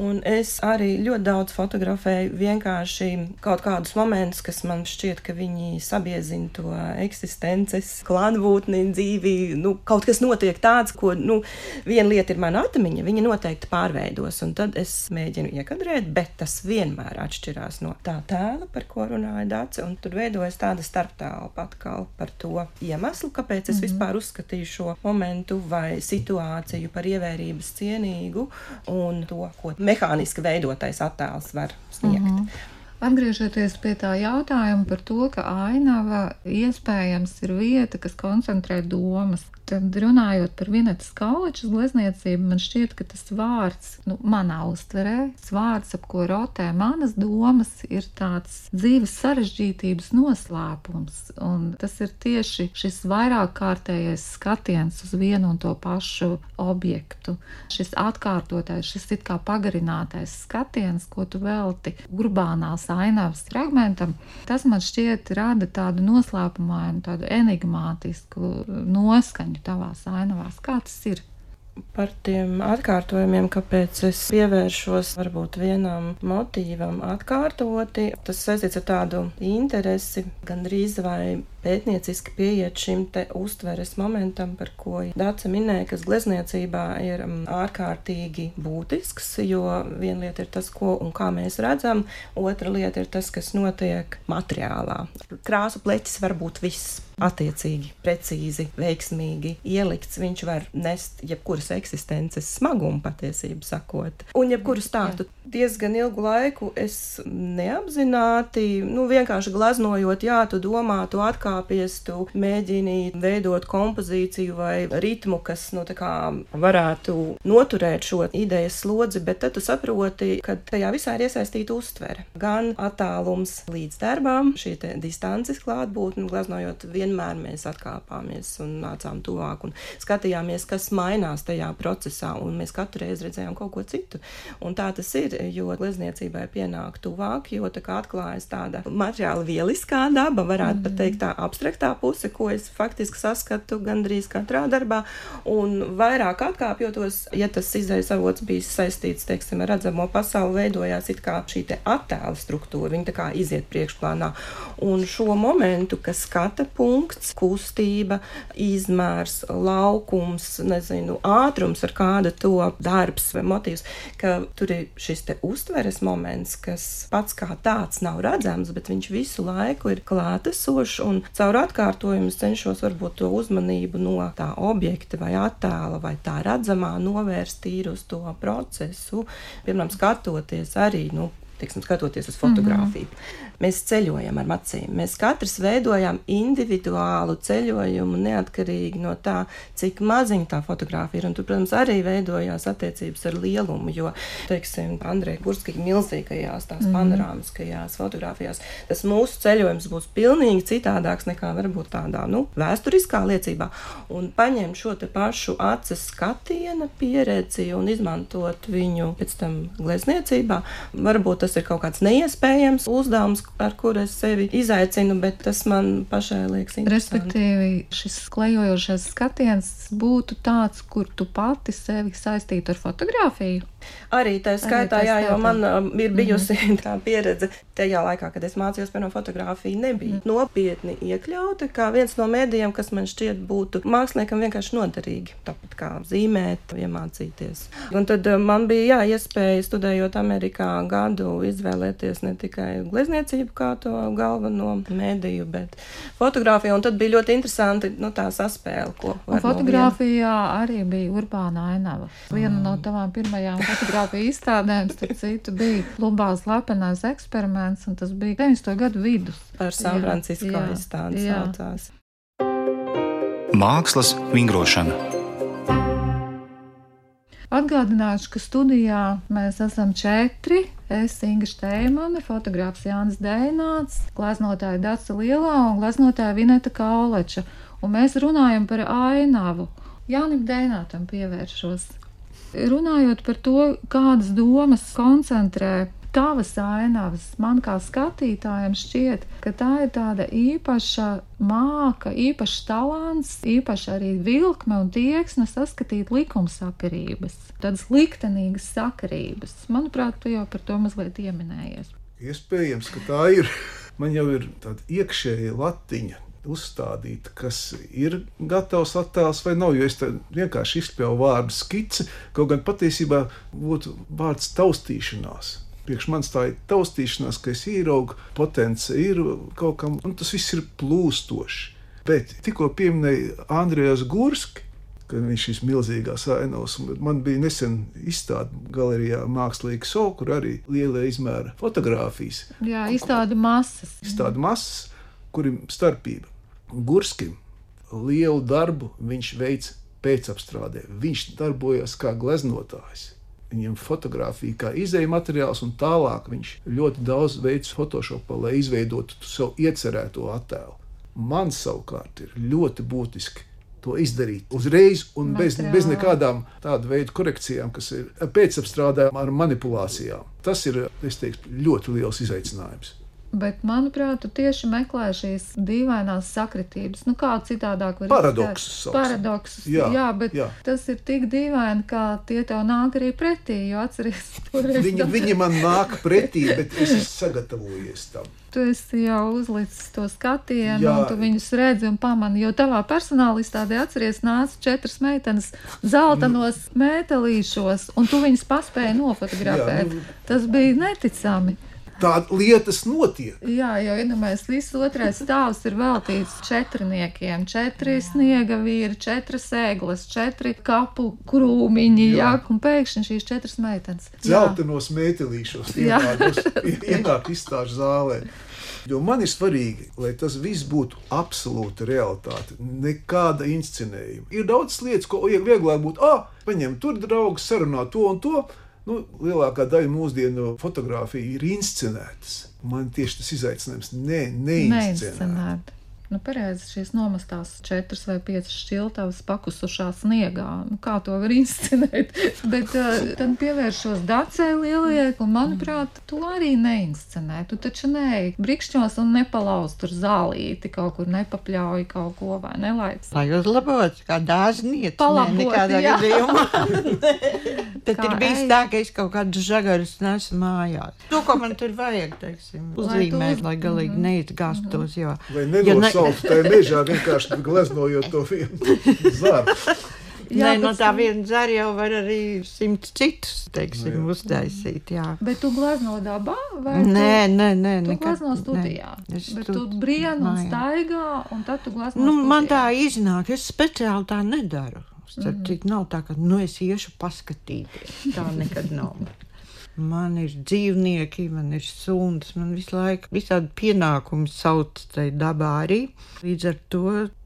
Speaker 5: un es arī ļoti daudz fotografēju vienkārši kaut kādus momentus, kas man šķiet, ka viņi sabiezina to eksistences, klātbūtni, dzīvi, nu, kaut kas notiek tāds, ko, nu, viena lieta ir mana atmiņa, viņa noteikti pārveidos, un tad es mēģinu iekadrēt, bet tas vienmēr atšķirās no tā tēla, par ko runāja Dace, un tur veidojas tāda starptelpa atkal par to iemeslu, kāpēc es mm-hmm. vispār uzskatīju šo momentu vai situāciju par ievērības cienīgu un to, ko mehāniski veidotais attēls var sniegt.
Speaker 2: Mm-hmm. Atgriežoties pie tā jautājuma par to, ka ainava iespējams ir vieta, kas koncentrē domas, tad runājot par Vinetas Kaulečas glezniecību, man šķiet, ka tas vārds, nu, manā uztverē, tas vārds, ap ko rotē manas domas, ir tāds dzīves sarežģītības noslēpums. Un tas ir tieši šis vairāk kārtējais skatiens uz vienu un to pašu objektu. Šis atkārtotais, šis it kā pagarinātais skatiens, ko tu velti urbānās ainavas fragmentam, tas man šķiet rada tādu noslēpumainu, tādu enigmātisku noskaņu tavās ainavās. Kā tas ir?
Speaker 5: Par tiem atkārtojumiem, kāpēc es pievēršos varbūt vienam motīvam atkārtoti, tas saistīts ar tādu interesi, gandrīz vai pētnieciski pieiet šim te uztveres momentam, par ko Dace minēja, kas glezniecībā ir ārkārtīgi būtisks, jo viena lieta ir tas, ko un kā mēs redzam, otra lieta ir tas, kas notiek materiālā. Krāsu pleķis var būt viss attiecīgi, precīzi, veiksmīgi ielikts, viņš var nest jebkuras eksistences smagumu patiesību sakot. Un jebkuru stāstu diezgan ilgu laiku es neapzināti, nu vienkārši glaznojot, jā, tu domā, tu atkāpies, tu mēģini veidot kompozīciju vai ritmu, kas, nu tā kā varētu noturēt šo idejas slodzi, bet tad tu saproti, ka tajā visā ir iesaistīta uztvere. Gan attālums līdz darbām, šī te distances klātbūtne, glaznojot vienmēr mēs atkāpāmies un nācām tuvāk un skatījāmies, kas mainās tajā procesā, un mēs katru reizi redzējām kaut ko citu. Un tā tas ir, jo glezniecībai pienāk tuvāk, jo tā kā atklājas tāda materiāla vieliskā daba, varētu mm. pat teikt tā abstraktā puse, ko es faktiski saskatu gandrīz katrā darbā, un vairāk atkāpjotos, ja tas izējas avots bijis saistīts, teiksim, ar redzamo pasauli, veidojās it kā šī te attēla struktūra, viņa tā kā iziet priekšplānā. Un šo momentu, kas skata punkts, kustība, izmērs, laukums, nezinu, ātrums, ar kāda to darbs vai motīvs, ka tur ir šis te uztveres moments, kas pats kā tāds nav redzams, bet viņš visu laiku ir klātesošs, un caur atkārtojumu es cenšos varbūt to uzmanību no tā objekta vai attēla vai tā redzamā novērst tīri uz to procesu, piemēram, skatoties arī, nu, teiksim, skatoties uz fotogrāfiju. Mm-hmm. Mēs ceļojam ar acīm. Mēs katrs veidojam individuālu ceļojumu neatkarīgi no tā, cik maziņa tā fotogrāfija ir. Un tur, protams, arī veidojās attiecības ar lielumu, jo, teiksim, Andreja Gurska milzīgajās, tās mm-hmm. panorāmiskajās fotogrāfijās, tas mūsu ceļojums būs pilnīgi citādāks nekā varbūt tādā, nu, vēsturiskā liecībā. Un paņemt šo te pašu aces skatiena pieredzi un izmantot viņu pēc tam glezniecībā, varbūt tas ir kaut kāds neiespējams uzdevums, ar kuru es sevi izaicinu, bet tas man pašai liekas interesanti.
Speaker 2: Respektīvi, šis klejojošais skatiens būtu tāds, kur tu pati sevi saistītu ar fotogrāfiju?
Speaker 5: Arī tā skaitā, jā, jo man um, ir bijusi mm-hmm. tā pieredze tajā laikā, kad es mācījos, piemēram, fotogrāfija nebija mm. nopietni iekļauta, kā viens no mēdījiem, kas man šķiet būtu māksliniekam vienkārši noderīgi, tāpat kā zīmēt, iemācīties. Un tad um, man bija, jā, iespēja studējot Amerikā gadu izvēlēties ne tikai glezniecību kā to galveno mēdīju, bet fotogrāfiju, un tad bija ļoti interesanti, nu, tā saspēle, ko var
Speaker 2: un fotogrāfijā no arī bija urbāna ainava. Viena mm. no tavām pirmajām fotogrāfija izstādēm, starp citu, bija Lubās lepenais eksperiments, un tas bija deviņdesmito gadu vidus.
Speaker 5: Par San Francisco izstādi saucās.
Speaker 6: Mākslas vingrošana.
Speaker 2: Atgādināšu, ka studijā mēs esam četri. Es, Inga Šteimane, fotogrāfs Jānis Deināts, gleznotāja Dace Lielā un gleznotāja Vineta Kauleča. Un mēs runājam par ainavu. Jānim Deinātam pievēršos. Runājot par to, kādas domas koncentrē tavas ainavas, man kā skatītājam šķiet, ka tā ir tāda īpaša māka, īpašs talants, īpaša arī vilkme un tieksme saskatīt likumsakarības, tādas liktenīgas sakarības. Manuprāt, tu jau par to mazliet ieminējies.
Speaker 4: Iespējams, ka tā ir. Man jau ir tāda iekšēja latiņa uzstādīta, kas ir gatavs attēls vai nav, jo es vienkārši izspēju vārdu skici, kaut gan patiesībā būtu vārds taustīšanās. Priekš manis tā ir taustīšanās, ka es ieraugu potence ir kaut kam, un tas viss ir plūstoši. Bet tikko pieminēja Andrejas Gurski, ka viņš šīs milzīgās ainavas, man bija nesen izstāde galerijā Mākslīgi So, kur arī lielie izmēra fotogrāfijas.
Speaker 2: Jā, izstāde masas.
Speaker 4: Izstāde masas, kur ir starpība. Gurskim lielu darbu viņš veic pēcapstrādē. Viņš darbojas kā gleznotājs. Viņam fotogrāfija kā izēja materiāls, un tālāk viņš ļoti daudz veic Photoshopā, lai izveidotu savu iecerēto attēlu. Man savukārt ir ļoti būtiski to izdarīt uzreiz un bez, bez nekādām tādu veidu korekcijām, kas ir pēcapstrādē ar manipulācijām. Tas ir, es teiktu, ļoti liels izaicinājums.
Speaker 2: Bet, manuprāt, tu tieši meklē šīs dīvainās sakritības. Nu, kā citādāk var
Speaker 4: paradoksus.
Speaker 2: Paradoksus, jā, jā, bet jā. Tas ir tik dīvaini, kā tie tev nāk arī pretī, jo atceries toreiz.
Speaker 4: Viņi, viņi man nāk pretī, bet es esmu sagatavojies tam.
Speaker 2: Tu esi jau uzlicis to skatienu, jā. Un tu viņus redzi un pamani, jo tavā personāla izstādē atceries nāca četras meitenes zeltanos mētelīšos, un tu viņus paspēji nofotografēt. Jā, nu... Tas bija neticami.
Speaker 4: Tāda lietas notiek.
Speaker 2: Jā, jo iedomājies, viss otrais stāvs ir veltīts četrniekiem, četri sniega vīri, četras ēglas, četri kapu krūmiņi, jā, jā un pēkšņi šīs četras meitenes.
Speaker 4: Zeltenos mētelīšos ienāk izstāžu zālē. Jo man ir svarīgi, lai tas viss būtu absolūta realitāte, nekāda inscenējuma. Ir daudz lietas, ko vieglāk būtu, ah, paņem tur draugs, sarunā to un to. Nu, lielākā daļa mūsdienu fotogrāfija ir inscenētas. Man tieši tas izaicinājums ne, neinscenēt.
Speaker 2: Nu, pareizi, šīs nomastās četras vai piecas šķiltavas pakusušā sniegā. Nu, kā to var inscenēt? Bet uh, tad pievēršos Dacei Lielajai, un, manuprāt, tu arī neinscenē. Tu taču neej brikšķos un nepalauz tur zālīti, kaut kur nepapļauj kaut ko vai nelaic.
Speaker 3: Lai uzlabot, kā dāzniec.
Speaker 2: Palabot,
Speaker 3: ne, nekādā
Speaker 2: jā.
Speaker 3: Gadījumā. Tad
Speaker 2: Kā
Speaker 3: ir bijis
Speaker 2: ej.
Speaker 3: tā, ka es kaut kādus žagarus nesu mājās. To, ko man tur vajag, teiksim, uzzīmēt, lai, lai galīgi mm-hmm. neizgastos, jo...
Speaker 4: Vai nenosaukt tajā mežā vienkārši gleznojot to vienu zaru.
Speaker 3: Nē, no tā viena dzēra jau var arī simts citus, teiksim, no, uztaisīt, jā.
Speaker 2: Bet tu glazno dabā? Vai
Speaker 3: nē,
Speaker 2: tu,
Speaker 3: nē, nē.
Speaker 2: Tu
Speaker 3: nekad,
Speaker 2: glazno studijā?
Speaker 3: Nē,
Speaker 2: bet
Speaker 3: tu,
Speaker 2: tu brien un
Speaker 3: nā,
Speaker 2: staigā, un tad tu glazno
Speaker 3: nu,
Speaker 2: studijā?
Speaker 3: Man tā iznāk, es speciāli tā nedaru. Starp mm. cik nav tā, ka, nu, es iešu paskatīties. Tā nekad nav. Man ir dzīvnieki, man ir suns, man visu laiku visādi pienākumi sauc tai dabā arī. Līdz ar to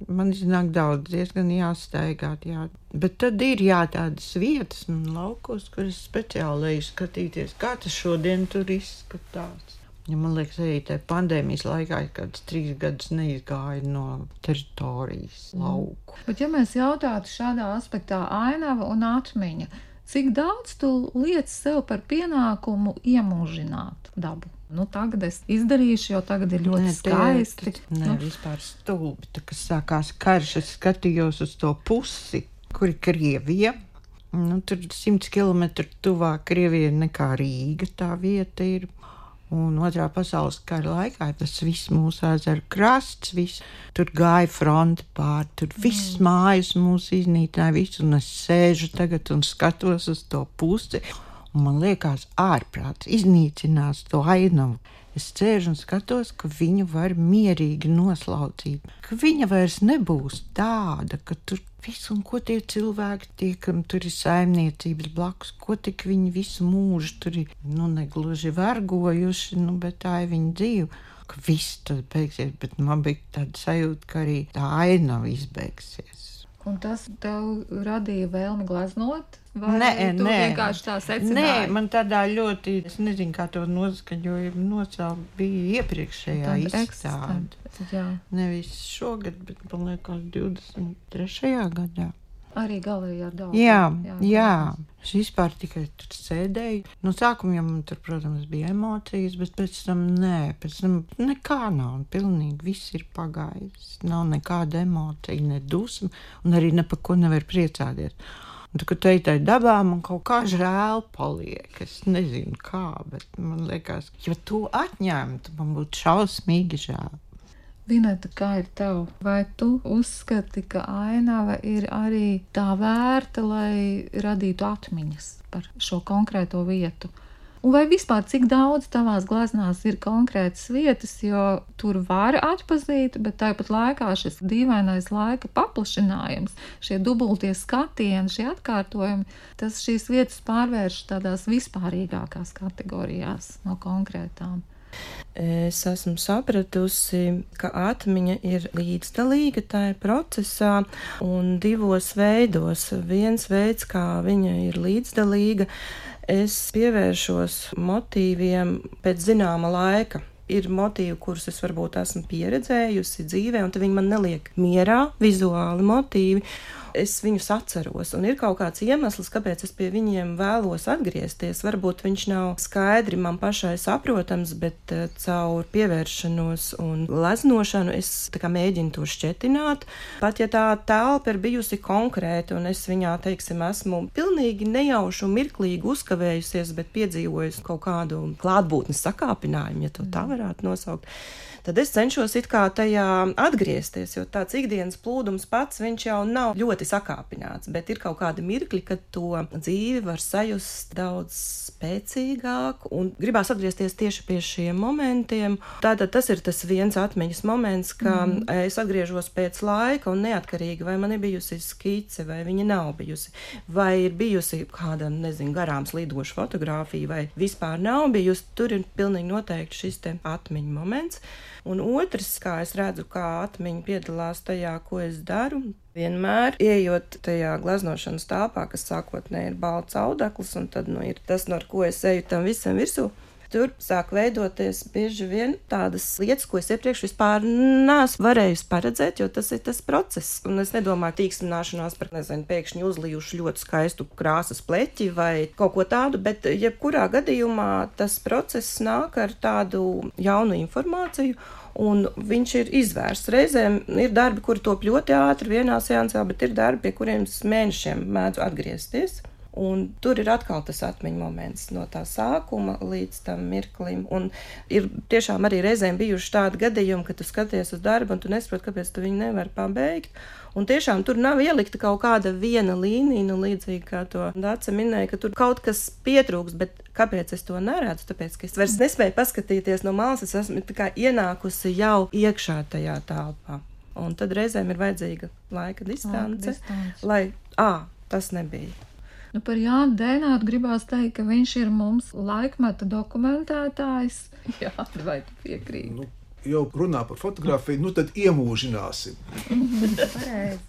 Speaker 3: man iznāk daudz, diezgan jāstaigāt, jā. Bet tad ir jā tādas vietas man laukos, kur es speciāli eju skatīties, kā tas šodien tur izskatās. Ja man liekas, arī tajā pandēmijas laikā kāds trīs gadus neizgāja no teritorijas lauku.
Speaker 2: Bet ja mēs jautātu šādā aspektā ainava un atmiņa, cik daudz tu liec sev par pienākumu iemūžināt dabu? Nu, tagad es izdarīšu, jo tagad ir ļoti
Speaker 3: nē,
Speaker 2: skaisti.
Speaker 3: Tie, nē,
Speaker 2: nu.
Speaker 3: vispār stulbi. Tā, kad sākās karš, es skatījos uz to pusi, kur ir Krievija. Nu, tur simts kilometru tuvāk Krievija nekā Rīga tā vieta ir. Un otrā pasaules kara laikā tas viss mūsu ezeru krasts, viss, tur gāja fronte pār, tur viss mm. mājas mūs iznīcināja, viss, un es sēžu tagad un skatos uz to pusi, un man liekas ārprāts, iznīcinās to ainavu. Es sēžu un skatos, ka viņu var mierīgi noslaucīt, ka viņa vairs nebūs tāda, ka tur visu, un ko tie cilvēki tie, kam tur ir saimniecības blakus, ko tik viņi visu mūžu tur ir, nu, negluži vergojuši, nu, bet tā ir viņa dzīve, ka viss tad beigsies, bet man bija tāda sajūta, ka arī tā ainava izbeigsies.
Speaker 2: Un tas tev radīja vēlmi glaznot? Vai
Speaker 3: nē,
Speaker 2: tu
Speaker 3: nē.
Speaker 2: vienkārši tā secināji?
Speaker 3: Nē, man tādā ļoti, es nezinu, kā to noskaņoju, nosaukt, bija iepriekšējā izstāde.
Speaker 2: Jā.
Speaker 3: Nevis šogad, bet man liekas divdesmit trešajā gadā.
Speaker 2: Arī galējā daudz.
Speaker 3: Jā, jā, jā. Es vispār tikai tur sēdēju. No sākuma jau man tur, protams, bija emocijas, bet pēc tam nē, pēc tam nekā nav. Pilnīgi viss ir pagājis. Nav nekāda emocija, ne dusma, un arī ne par ko nevar priecāties. Un tad, kad teitai dabā, man kaut kā žēl paliek. Es nezinu kā, bet man liekas, ja to atņemtu, man būtu šausmīgi žēl.
Speaker 2: Vineta, kā ir tev? Vai tu uzskati, ka ainava ir arī tā vērta, lai radītu atmiņas par šo konkrēto vietu? Un vai vispār cik daudz tavās glaznās ir konkrētas vietas, jo tur var atpazīt, bet tāpat laikā šis dīvainais laika paplašinājums, šie dubultie skatieni, šie atkārtojumi, tas šīs vietas pārvērš tādās vispārīgākās kategorijās no konkrētām.
Speaker 5: Es esmu sapratusi, ka atmiņa ir līdzdalīga tajā procesā un divos veidos. Viens veids, kā viņa ir līdzdalīga, es pievēršos motīviem pēc zināma laika. Ir motīvi, kurus es varbūt esmu pieredzējusi dzīvē, un tad viņi man neliek mierā, vizuāli motīvi. Es viņus atceros, un ir kaut kāds iemesls, kāpēc es pie viņiem vēlos atgriezties. Varbūt viņš nav skaidri man pašai saprotams, bet uh, caur pievēršanos un gleznošanu es tā kā mēģinu to šķetināt. Pat ja tā telpa ir bijusi konkrēta, un es viņā, teiksim, esmu pilnīgi nejauši un mirklīgi uzkavējusies, bet piedzīvojusi kaut kādu klātbūtnes sakāpinājumu, ja to tā varētu nosaukt, tad es cenšos it kā tajā atgriezties, jo tāds ikdienas plūdums pats, viņš jau nav ļoti sakāpināts, bet ir kaut kādi mirkļi, kad to dzīvi var sajust daudz spēcīgāk, un gribās atgriezties tieši pie šiem momentiem. Tātad tas ir tas viens atmiņas moments, ka mm. es atgriežos pēc laika, un neatkarīgi, vai man ir bijusi skice, vai viņa nav bijusi, vai ir bijusi kāda, nezinu, garām slīdoša fotografija, vai vispār nav bijusi, tur ir pilnīgi noteikti šis te atmiņa moments. Un otrs, kā es redzu, kā atmiņa piedalās tajā, ko es daru, vienmēr ejot tajā gleznošanas telpā, kas sākotnēji ir balts audekls, un tad nu, ir tas, no ar ko es eju tam visam virsū. Tur sāk veidoties bieži vien tādas lietas, ko es iepriekš vispār neesmu varējusi paredzēt, jo tas ir tas process. Un es nedomāju tīkstināšanās par, nezinu, pēkšņi uzlijuši ļoti skaistu krāsas pleķi vai kaut ko tādu, bet jebkurā gadījumā tas process nāk ar tādu jaunu informāciju, un viņš ir izvērsts. Reizēm ir darbi, kuri top ļoti ātri vienā seansā, bet ir darbi, pie kuriem es mēnešiem mēdzu atgriezties. Un tur ir atkal tas atmiņu moments no tā sākuma līdz tam mirklim. Un ir tiešām arī reizēm bijuši tādi gadījumi, ka tu skaties uz darbu un tu nesaproti, kāpēc tu viņu nevar pabeigt. Un tiešām tur nav ielikta kaut kāda viena līnija, nu līdzīgi kā to Dace minēja, ka tur kaut kas pietrūks, bet kāpēc es to neredzu? Tāpēc, ka es vairs nespēju paskatīties no malas, es esmu tā kā ienākusi jau iekšā tajā telpā. Un tad reizēm ir vajadzīga laika distance,
Speaker 2: distance.
Speaker 5: lai, ā, tas nebija.
Speaker 2: Nu, par Jānu Dēnātu gribās teikt, ka viņš ir mums laikmeta dokumentētājs. Jā, vai tu piekrīti?
Speaker 4: Nu, jau runā par fotografiju, nu tad iemūžināsim.
Speaker 2: Pareizi.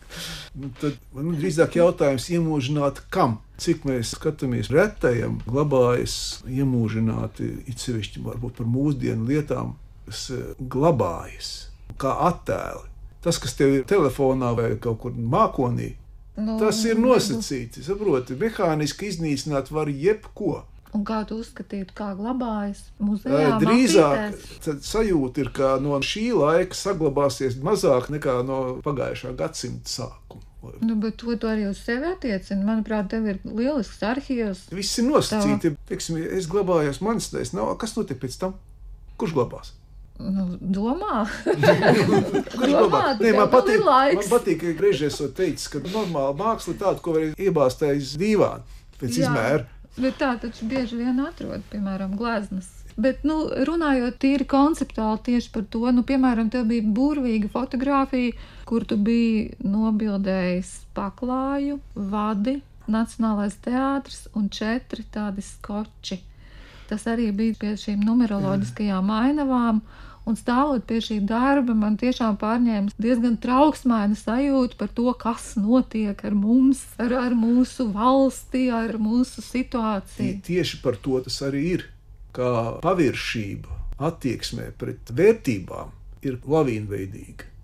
Speaker 4: Nu, tad man drīzāk jautājums iemūžināt kam? Cik mēs skatāmies retajam, glabājas iemūžināti, it sevišķi varbūt par mūsdienu lietām, kas glabājas kā attēli. Tas, kas tev ir telefonā vai kaut kur mākonī, nu, tas ir nosacīti, saproti, mehāniski iznīcināt var jebko.
Speaker 2: Un kā tu uzskatītu, kā glabājas muzejā?
Speaker 4: Drīzāk sajūta ir, ka no šī laika saglabāsies mazāk nekā no pagājušā gadsimta sākuma.
Speaker 2: Nu, bet to tu arī uz sevi attiecini. Manuprāt, tev ir lielisks arhīvs.
Speaker 4: Viss ir nosacīti. Teiksim, es glabājos manis tais, nav, kas notiek pēc tam? Kurš glabās?
Speaker 2: Nu, domā.
Speaker 4: Kurš
Speaker 2: domā,
Speaker 4: Nē, man patīk,
Speaker 2: laiks.
Speaker 4: man patīk, ka Grežs esot teicis, ka normāla māksla ir tāda, ko var iebāzt aiz dīvāna pēc
Speaker 2: Jā,
Speaker 4: izmēra.
Speaker 2: Bet tā taču bieži vien atrod, piemēram, gleznas. Bet, nu, runājot tīri konceptuāli tieši par to, nu, piemēram, tev bija burvīga fotografija, kur tu biji nobildējis paklāju, vadi, Nacionālais teātris un četri tādi skoči. Tas arī bija pie šīm numeroloģiskajām ainavām, un stāvot pie šī darba, man tiešām pārņēma diezgan trauksmaina sajūta par to, kas notiek ar mums, ar, ar mūsu valsti, ar mūsu situāciju.
Speaker 4: Tieši par to tas arī ir, kā paviršība attieksmē pret vērtībām ir lavīnveidīga.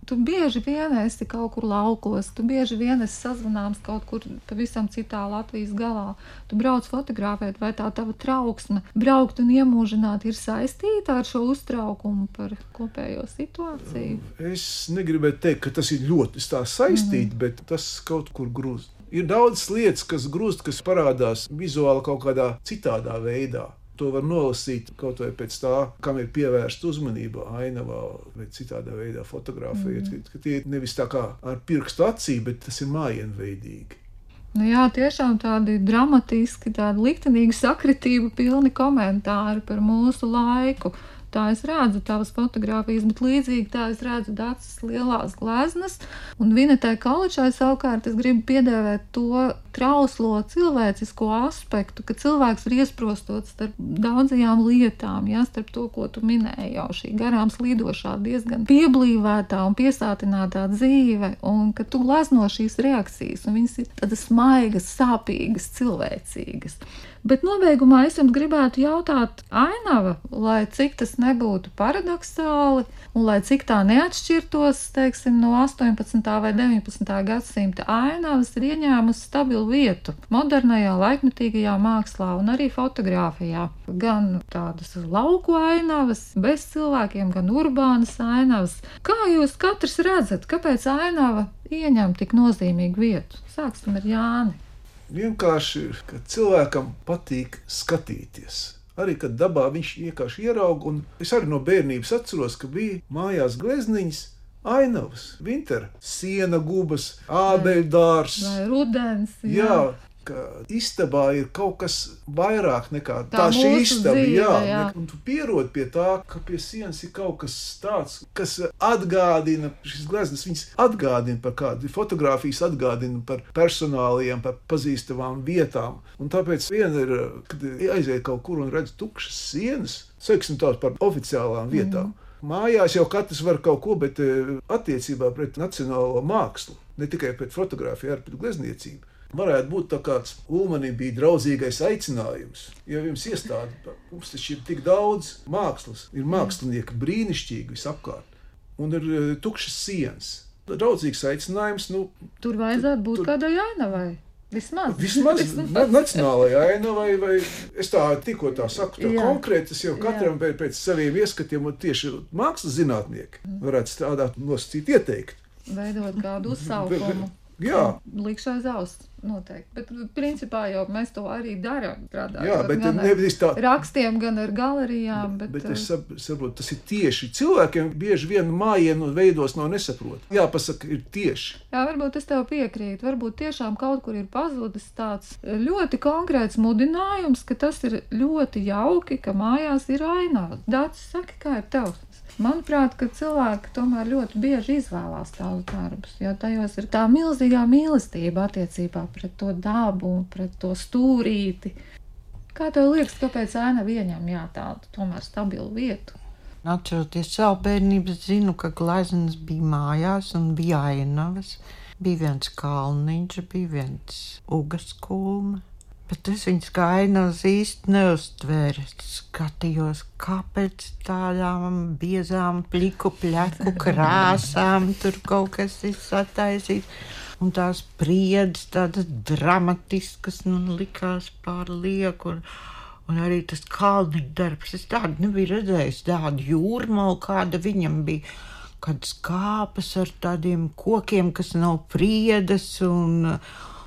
Speaker 2: Tu bieži vien esi kaut kur laukos, tu bieži vien esi sazvanāms kaut kur pavisam citā Latvijas galā. Tu brauc fotografēt, vai tā tava trauksme braukt un iemūžināt ir saistīta ar šo uztraukumu par kopējo situāciju?
Speaker 4: Es negribētu teikt, ka tas ir ļoti tā saistīti, mm. bet tas kaut kur grūst. Ir daudz lietas, kas grūst, kas parādās vizuāli kaut kādā citādā veidā. To var nolasīt kaut vai pēc tā, kam ir pievērsta uzmanība ainavā vai citādā veidā fotografējot, mm. ka tie nevis tā kā ar pirkstu acī, bet tas ir mājienveidīgi.
Speaker 2: Nu jā, tiešām tādi dramatiski, tādi liktenīgi sakritību pilni komentāri par mūsu laiku. Tā es redzu tavas fotogrāfijas, bet līdzīgi tā es redzu Daces lielās gleznas. Un Vinetai Kaličai savukārt es gribu piedēvēt to trauslo cilvēcisko aspektu, ka cilvēks ir iesprostots starp daudzajām lietām, jā, starp to, ko tu minēji jau, šī garām slīdošā, diezgan pieblīvētā un piesātinātā dzīve, un ka tu glezno šīs reakcijas, un viņas ir tādas maigas, sāpīgas, cilvēcīgas. Bet nobeigumā es jums gribētu jautāt, ainava, lai cik tas nebūtu paradoxāli un lai cik tā neatšķirtos, teiksim, no astoņpadsmitā vai deviņpadsmitā gadsimta ainavas ir ieņēmusi stabilu vietu modernajā, laikmetīgajā mākslā un arī fotogrāfijā. Gan tādas lauku ainavas, bez cilvēkiem, gan urbānas ainavas. Kā jūs katrs redzat, kāpēc ainava ieņem tik nozīmīgu vietu? Sāksim ar Jāni.
Speaker 4: Vienkārši, ka cilvēkam patīk skatīties. Arī, kad dabā viņš vienkārši ieraug, un es arī no bērnības atceros, ka bija mājās glezniņas, ainavas, vintera, siena gubas, ābeļdārs.
Speaker 2: Vai rudens, jā.
Speaker 4: Jā, ka istabā ir kaut kas vairāk nekā
Speaker 2: Tā
Speaker 4: tā šī
Speaker 2: mūsu
Speaker 4: istaba,
Speaker 2: dzīve,
Speaker 4: jā.
Speaker 2: jā.
Speaker 4: Un tu pierod pie tā, ka pie sienas ir kaut kas tāds, kas atgādina, šis gleznas, viņas atgādina par kādu, fotogrāfijas atgādina par personāliem, par pazīstamām vietām. Un tāpēc viena ir, kad aiziet kaut kur un redz tukšas sienas, saiksim tās par oficiālām vietām. Mm. Mājās jau katrs var kaut ko, bet attiecībā pret nacionālo mākslu, ne tikai pret fotogrāfiju, arī pret glezniecību. Varētu būt tā kāds Ulmanim bija draudzīgais aicinājums. Ja jums iestādi, mums taču ir tik daudz mākslas, ir mākslinieki brīnišķīgi visapkārt, un ir tukšas sienas. Draudzīgs aicinājums, nu...
Speaker 2: Tur vajadzētu būt tur... kādai ainavai. Vismaz.
Speaker 4: Vismaz na- nacionālajai ainavai, vai es tā tikko tā saku, tā
Speaker 2: Jā.
Speaker 4: konkrēti, tas jau katram pēc, pēc saviem ieskatiem, un tieši mākslas zinātnieki varētu strādāt, nosacīt, ieteikt.
Speaker 2: Veidot kādu uzsaukumu.
Speaker 4: Jā.
Speaker 2: Likšu aiz auss, noteikti. Bet, principā, jau mēs to arī darām.
Speaker 4: Jā, bet nevis tā.
Speaker 2: Rakstiem, gan ar galerijām. Bet,
Speaker 4: bet es saprotu, tas ir tieši. Cilvēkiem bieži vien mājienu veidos no nesaprot. Jāpasaka, ir tieši.
Speaker 2: Jā, varbūt es tev piekrītu. Varbūt tiešām kaut kur ir pazudis tāds ļoti konkrēts mudinājums, ka tas ir ļoti jauki, ka mājās ir ainava. Dācis, saki, kā ir tev? Manuprāt, ka cilvēki tomēr ļoti bieži izvēlās tādus darbus, jo tajos ir tā milzīgā mīlestība attiecībā pret to dabu un pret to stūrīti. Kā tev liekas, kāpēc ainava ieņem jā tādu tomēr stabilu vietu?
Speaker 3: Atceroties savu bērnību, zinu, ka gleznas bija mājās un bija ainavas. Bija viens kalniņš, bija viens ugas kulma. Bet es viņas kā ainavas īsti neuztvēru. Skatījos, kāpēc tādām biezām, pliku, pleku krāsām tur kaut kas ir sataisīts. Un tās priedes tādas dramatiskas, nu, likās pārlieku. Un, un arī tas kalniņa darbs. Es tādu nebiju redzējis, tādu jūrmalu, kāda viņam bija. Kādas kāpas ar tādiem kokiem, kas nav priedes un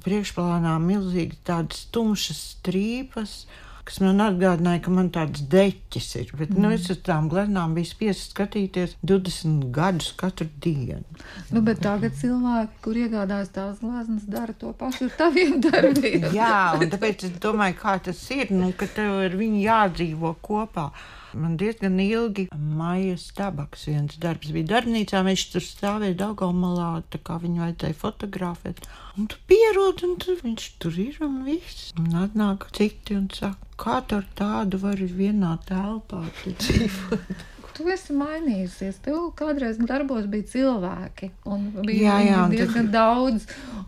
Speaker 3: priekšplānā milzīgi tādas tumšas strīpas, kas man atgādināja, ka man tāds deķis ir. Bet, mm. nu, es uz tām gleznām biju spiesta skatīties divdesmit gadus katru dienu.
Speaker 2: Nu, bet tagad cilvēki, kur iegādājas tās gleznas, dara to pašu ar taviem darbiem.
Speaker 3: Jā, un tāpēc es domāju, kā tas ir, nu, ka tev ar viņu jādzīvo kopā. Man diezgan ilgi Maijas Tabaks viens darbs bija darbnīcā, viņš tur stāvēja Daugavmalā, tā kā viņu vajadzēja fotografēt. Un tu pierod, un tu, viņš tur ir un viss. Un atnāk citi un saka, kā tu ar tādu vari vienā telpā dzīvot?
Speaker 2: Tu esi mainījusies. Tev kādreiz darbos bija cilvēki, un
Speaker 3: Jā,
Speaker 2: bija
Speaker 3: jā, un
Speaker 2: diezgan
Speaker 3: tas...
Speaker 2: daudz,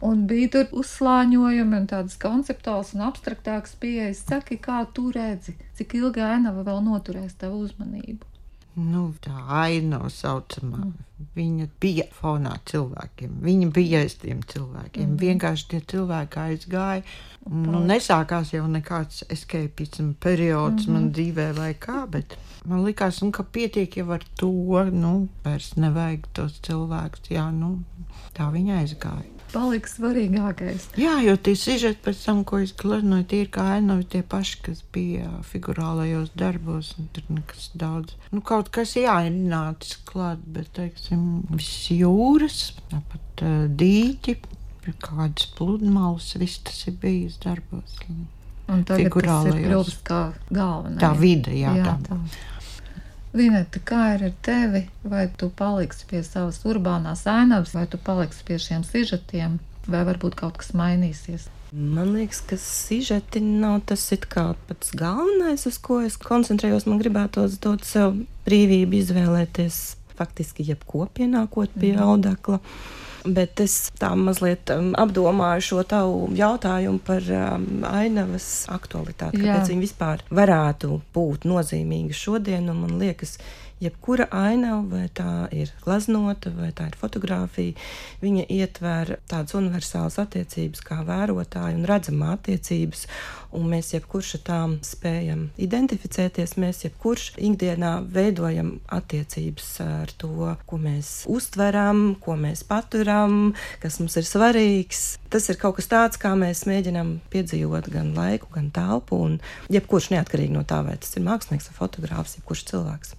Speaker 2: un bija tur uzslāņojumi un tādas konceptuāls un abstraktāks pieejas. Saki, kā tu redzi, cik ilgi ainava vēl noturēs tavu uzmanību?
Speaker 3: Nu, tā ainava saucamā, viņa bija fonā cilvēkiem, viņa bija aiz tiem cilvēkiem. Mm. Vienkārši tie cilvēki aizgāja. Nu, nesākās jau nekāds escapism periods mm-hmm. man dzīvē vai kā, bet man likās, un, ka pietiek jau ar to, nu, vairs nevajag tos cilvēkus, jā, nu, tā viņa aizgāja.
Speaker 2: Palika svarīgākais.
Speaker 3: Jā, jo tie sižeti pēc tam, ko es gleznoju, tie ir kā ainavi tie paši, kas bija figurālajos darbos, un tur nekas daudz. Nu, kaut kas jā, ir nācis klāt, bet, teiksim, viss jūras, pat uh, dīķi, kādas pludmales, viss tas ir bijis darbos.
Speaker 2: Un tagad tas ir kļuvis kā galvenais.
Speaker 3: Tā vide, jā,
Speaker 2: jā
Speaker 3: tā.
Speaker 2: tā. Lineta, kā ir ar tevi? Vai tu paliksi pie savas urbānās ainavas, vai tu paliksi pie šiem sižetiem, vai varbūt kaut kas mainīsies?
Speaker 5: Man liekas, ka sižeti nav tas it kā pats galvenais, uz ko es koncentrējos. Man gribētos dot sev brīvību izvēlēties faktiski jebko pienākot pie mm. audekla. Bet es tā mazliet um, apdomāju šo tavu jautājumu par um, ainavas aktualitāti, kāpēc viņa vispār varētu būt nozīmīga šodien, un man liekas, jebkura ainava, vai tā ir gleznota, vai tā ir fotografija, viņa ietver tādas universālas attiecības kā vērotāja un redzamā attiecības, un mēs jebkurš ar tām spējam identificēties, mēs jebkurš ikdienā veidojam attiecības ar to, ko mēs uztveram, ko mēs paturam, kas mums ir svarīgs. Tas ir kaut kas tāds, kā mēs mēģinam piedzīvot gan laiku, gan telpu, un jebkurš neatkarīgi no tā, vai tas ir mākslinieks vai fotogrāfs, jebkurš cilvēks.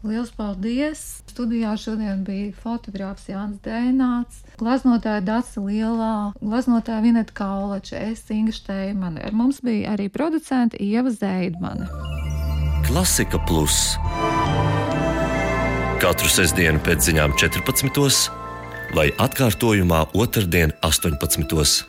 Speaker 2: Liels paldies! Studijā šodien bija fotogrāfs Jānis Dēnāts, gleznotāja Dace Lielā, gleznotāja Vineta Kaulača, es Inga Šteimane. Ar mums bija arī producente Ieva Zeidmane.
Speaker 1: Klasika Plus. Katru sestdienu pēc ziņām četrpadsmitos vai atkārtojumā otrdien astoņpadsmitos.